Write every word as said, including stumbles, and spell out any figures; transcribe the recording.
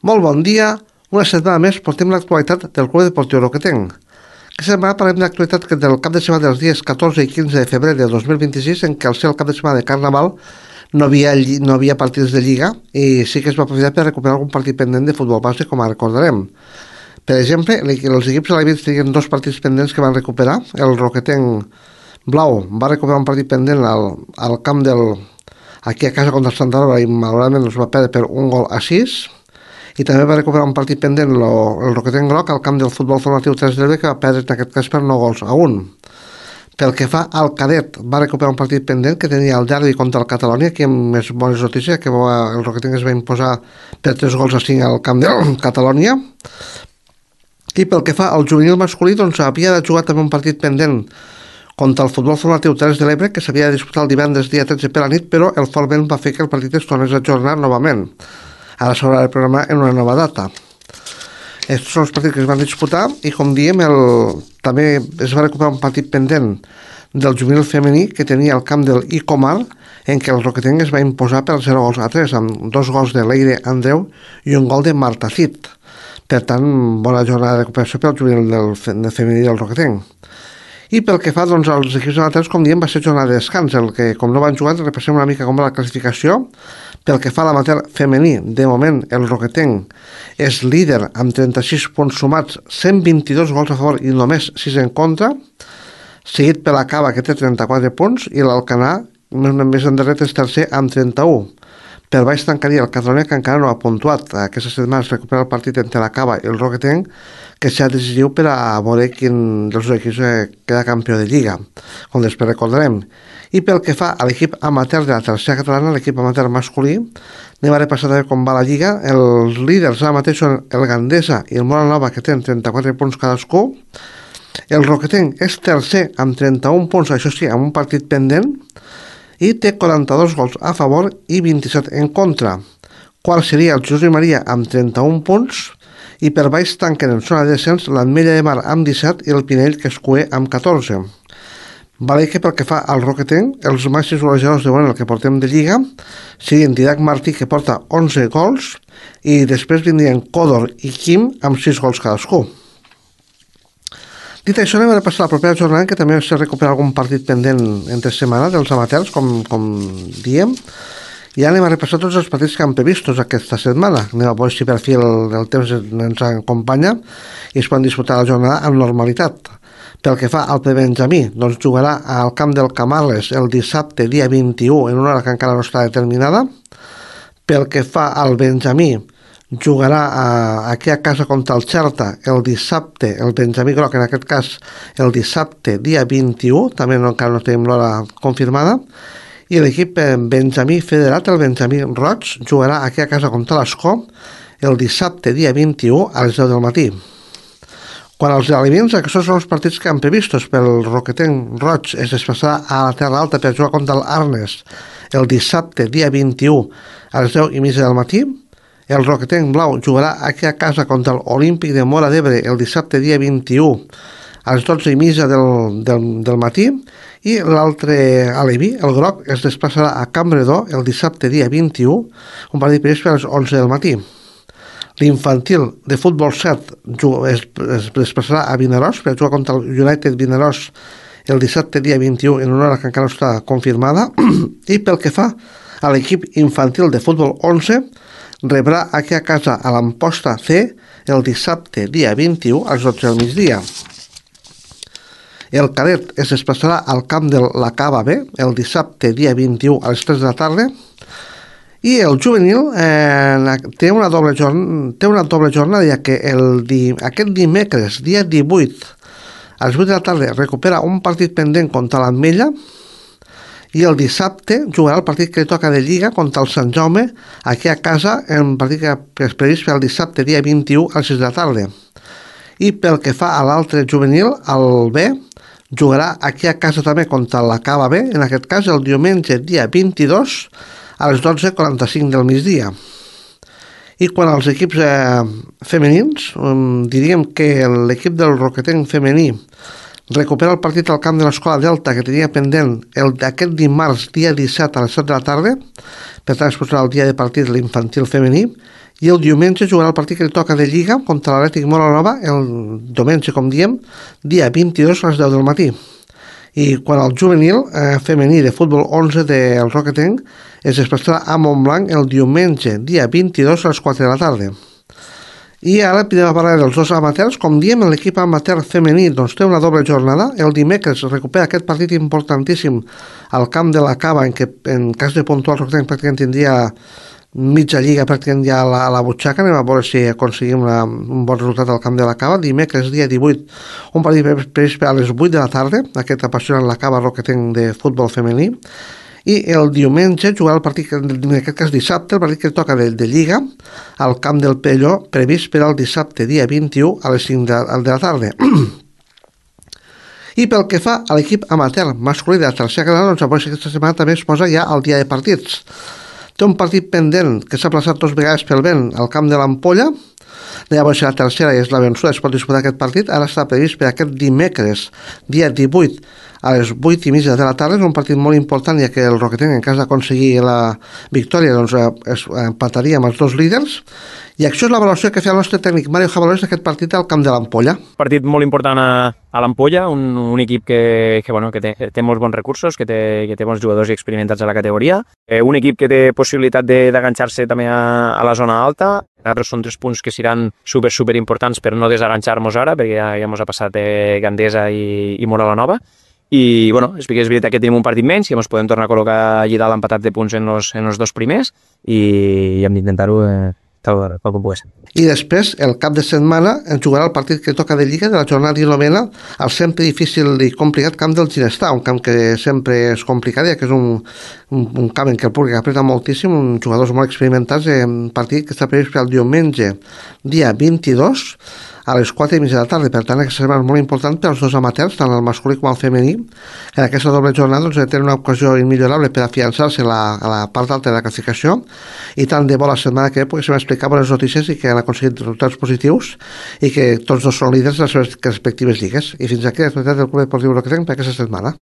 Molt bon dia. Una setmana més portem l'actualitat del Club Deportiu Roquetenc. Aquesta setmana parlem d'actualitat del cap de setmana dels dies catorze i quinze de febrer de dos mil vint-i-sis, en què al ser el cap de setmana de Carnaval no havia, no havia partits de Lliga i sí que es va aprofitar per recuperar algun partit pendent de futbol base, com ara recordarem. Per exemple, els equips alevins tenien dos partits pendents que van recuperar. El Roquetenc Blau va recuperar un partit pendent al, al camp del... aquí a casa contra el Santa Laura i malauradament els va perdre per un gol a sis. I també va recuperar un partit pendent lo, el Roquetenc Groc al camp del futbol formatiu tres de l'Elbe, que va perdre en aquest cas per nou gols a un. Pel que fa al cadet, va recuperar un partit pendent que tenia el derbi contra el Catalonia, que amb més bones notícies, que va, el Roquetenc es va imposar per tres gols a cinc al camp del Catalonia. I pel que fa al juvenil masculí, doncs havia de jugar també un partit pendent contra el futbol formatiu tres de l'Ebre, que s'havia de disputar el divendres dia tretze per la nit, però el fort vent va fer que el partit es tornés a ajornar novament. Ara s'haurà de programar en una nova data. Aquests són els partits que es van disputar i, com diem, el... també es va recuperar un partit pendent del juvenil femení que tenia el camp del Icomar, en què el Roquetenc es va imposar per zero gols a tres, amb dos gols de Leire Andreu i un gol de Marta Cid. Per tant, bona jornada de recuperació pel juvenil del, del femení del Roquetenc. I pel que fa doncs, als equips amateurs, com diem, va ser jornada de descans, el que, com no van jugar, repassem una mica com va la classificació. Pel que fa a l'amateur femení, de moment el Roquetenc és líder amb trenta-sis punts sumats, cent vint-i-dos gols a favor i només sis en contra, seguit per la Cava, que té trenta-quatre punts, i l'Alcanar, més endarrere, és tercer amb trenta-un. Per baix tancaria el Catalonia, que encara no ha puntuat. Aquesta setmana es recupera el partit entre la Cava i el Roquetenc, que serà decisiu per a veure quin dels dos equips queda campió de Lliga, com després recordarem. I pel que fa a l'equip amateur de la tercera catalana, l'equip amateur masculí, anem a repassar també com va la Lliga. Els líders ara mateix són el Gandesa i el Mora Nova, que tenen trenta-quatre punts cadascú. El Roquetenc és tercer amb trenta-un punts, això sí, amb un partit pendent, i té quaranta-dos gols a favor i vint-i-set en contra. Quart seria el Josep Maria amb trenta-un punts, i per baix tanquen en zona de descens l'Ametlla de Mar amb disset i el Pinell, que és cuer, amb catorze. Vale que pel que fa al Roquetenc, els màxims golejadors de moment el que portem de Lliga serien Didac Martí, que porta onze gols, i després vindrien Còdor i Quim amb sis gols cadascú. Dit això, anem a repassar la propera jornada, que també s'ha recuperat algun partit pendent entre setmana dels amateurs, com, com diem, i anem a repassar tots els partits que han previstos aquesta setmana. Anem a veure si per fi el, el temps ens acompanya i es poden disputar la jornada amb normalitat. Pel que fa al prebenjamí, doncs jugarà al camp del Camarles el dissabte dia vint-i-u en una hora que encara no està determinada. Pel que fa al benjamí, jugarà a, aquí a casa contra el Xerta el dissabte, el Benjamí Groc en aquest cas el dissabte dia vint-i-u, també no, encara no tenim l'hora confirmada, i l'equip Benjamí Federat, el Benjamí Roig, jugarà aquí a casa contra l'Escó el dissabte dia vint-i-u a les deu del matí. Quan als alevins, aquests són els partits que han previstos. Pel Roquetenc Roig es desplaçarà a la Terra Alta per jugar contra l'Arnes el dissabte dia vint-i-u a les deu i mitja del matí. El Roquetenc Blau jugarà aquí a casa contra l'Olímpic de Móra d'Ebre el dissabte dia vint-i-u a les dotze i mitja del, del, del matí, i l'altre aleví, el Groc, es desplaçarà a Campredó el dissabte dia vint-i-u, un partit previst a les onze del matí. L'infantil de futbol set es, es desplaçarà a Vinaròs per jugar contra el United Vinaròs el dissabte dia vint-i-u en una hora que encara no està confirmada. I pel que fa a l'equip infantil de futbol onze, rebrà aquí a casa a l'Amposta C el dissabte dia vint-i-u a les dotze del migdia. El cadet es desplaçarà al camp de la Cava B el dissabte dia vint-i-u a les tres de la tarda, i el juvenil eh, té, una doble jorn té una doble jornada, ja que el di aquest dimecres dia divuit a les vuit de la tarda recupera un partit pendent contra l'Ametlla, i el dissabte jugarà el partit que li toca de Lliga contra el Sant Jaume aquí a casa, en un partit que és previst per el dissabte dia vint-i-u a les sis de la tarda. I pel que fa a l'altre juvenil, el B jugarà aquí a casa també contra la Cava B, en aquest cas el diumenge dia vint-i-dos a les dotze i quaranta-cinc del migdia. I quan als equips eh, femenins, um, diríem que l'equip del Roquetenc femení recupera el partit al camp de l'Escola Delta, que tenia pendent el d'aquest dimarts dia disset a les set de la tarda. Per tant, es posarà el dia de partit l'infantil femení, i el diumenge jugarà el partit que li toca de Lliga contra l'Atlètic Molanova el diumenge, com diem, dia vint-i-dos a les deu del matí. I quan el juvenil eh, femení de futbol onze del Roquetenc es desplaçarà a Montblanc el diumenge, dia vint-i-dos a les quatre de la tarda. I ara podem parlar dels dos amateurs. Com diem, l'equip amateur femení doncs, té una doble jornada. El dimecres recupera aquest partit importantíssim al camp de la Cava, en què en cas de puntuar el Roquetenc pràcticament tindria mitja lliga pràcticament ja a la, a la butxaca. Anem a veure si aconseguim una, un bon resultat al camp de la Cava. Dimecres, dia divuit, un partit previst a les vuit de la tarda, aquest apassionant la Cava Roquetenc de futbol femení. I el diumenge jugarà el partit, en aquest cas dissabte, el partit que toca de, de Lliga al camp del Pelló, previst per al dissabte, dia vint-i-u, a les cinc de, de la tarda. I pel que fa a l'equip amateur masculí de la tercera catalana, doncs avui aquesta setmana també es posa ja al dia de partits. Té un partit pendent que s'ha plaçat dos vegades pel vent al camp de l'Ampolla. Llavors la tercera i és la vençuda, es pot disputar aquest partit. Ara està previst per aquest dimecres, dia divuit, a les vuit i mitja de la tarda. És un partit molt important, ja que el Roquetenc, en cas d'aconseguir la victòria, doncs es empataria amb els dos líders. I això és la valoració que feia el nostre tècnic Mario Jabalós d'aquest partit al camp de l'Ampolla. Partit molt important a, a l'Ampolla, un, un equip que, que, bueno, que té, té molts bons recursos, que té, que té bons jugadors i experimentats a la categoria. Eh, un equip que té possibilitat d'enganxar-se també a, a la zona alta. Nosaltres són tres punts que seran super, super importants per no desenganxar-nos ara, perquè ja, ja ens ha passat eh, Gandesa i, i Moralanova. I bueno, és veritat que tenim un partit menys, que ens podem tornar a col·locar allà dalt empatats de punts en els, en els dos primers i hem d'intentar-ho eh, tal com pugui ser. I després, el cap de setmana, ens jugarà el partit que toca de Lliga de la jornada dinovena al sempre difícil i complicat camp del Ginestar, un camp que sempre és complicat, ja que és un, un, un camp en què el públic apreta moltíssim, uns jugadors molt experimentats, un partit que està previst per el diumenge, dia vint-i-dos, a les quatre i mitja de la tarda. Per tant, aquesta setmana és molt important per als dos amateurs, tant el masculí com el femení. En aquesta doble jornada doncs, tenen una ocasió immillorable per afiançar-se a la, a la part alta de la classificació, i tant de bo la setmana que ve poguéssim explicar bones notícies i que han aconseguit resultats positius i que tots dos són líders de les seves respectives lligues. I fins aquí l'actualitat del Club Deportiu Roquetenc per aquesta setmana.